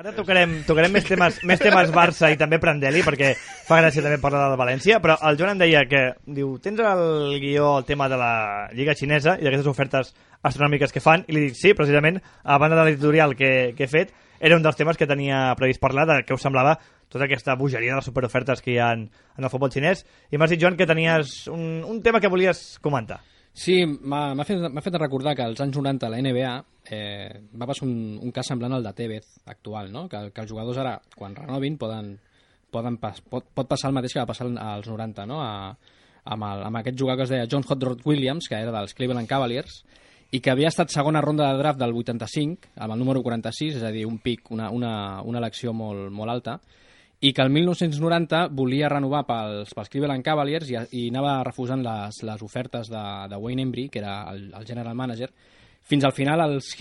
Ara tocarem més temes Barça i també Prandelli, perquè fa gràcia també parlar del València, però el Joan em deia que, diu, tens el guió, el tema de la Lliga Xinesa i d'aquestes ofertes astronòmiques que fan, i li dic, sí, precisament, a banda de l'editorial que he fet, era un dels temes que tenia previst parlar, de què us semblava tota aquesta bogeria de les superofertes que hi ha en el futbol xinès, i m'has dit, Joan, que tenies un tema que volies comentar. Sí, m'ha fet recordar que als anys 90 la NBA va passar un cas semblant al de Tevez actual, no? Que els jugadors ara, quan renovin, pot passar el mateix que va passar als 90, no? Amb aquest jugador que es deia John Hot Rod Williams, que era dels Cleveland Cavaliers, i que havia estat segona ronda de draft del 85, amb el número 46, és a dir, un pic, una elecció molt alta, i que el 1990 volia renovar pels Cleveland Cavaliers i anava refusant les ofertes de Wayne Embry, que era el general manager, fins al final els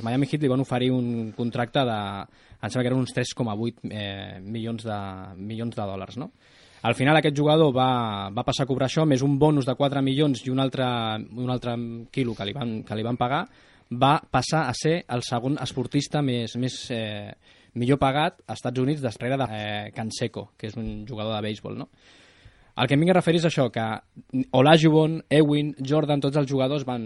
Miami Heat li van oferir un contracte em sembla que eren uns 3,8 milions de dòlars, no? Al final aquest jugador va passar a cobrar això, més un bonus de 4 milions i un altre quilo que li van pagar, va passar a ser el segon esportista millor pagat als Estats Units darrere de Canseco, que és un jugador de béisbol, no? El que em vinc a referir és això, que Olajuwon, Ewing, Jordan, tots els jugadors van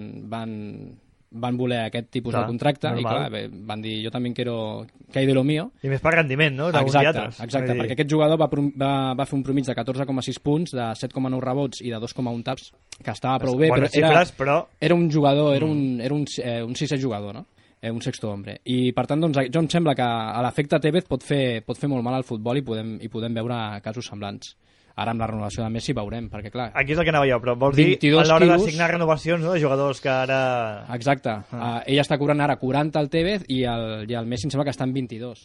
voler aquest tipus de contracte, normal. I clar, van dir, jo també quiero que hay de lo mío. I més per rendiment, no? Exacte, perquè aquest jugador va fer un promig de 14,6 punts, de 7,9 rebots i de 2,1 taps, que estava prou bé, era un jugador, era un sisè jugador, no? Un sexto hombre. I per tant, doncs, jo em sembla que a l'efecte Tevez pot fer molt mal al futbol i podem veure casos semblants. Ara amb la renovació de Messi veurem, perquè clar... Aquí és el que anava jo, però vols dir a l'hora de signar renovacions, no, de jugadors que ara... Exacte. Ell està cobrant ara 40 al Tevez i el Messi em sembla que està en 22.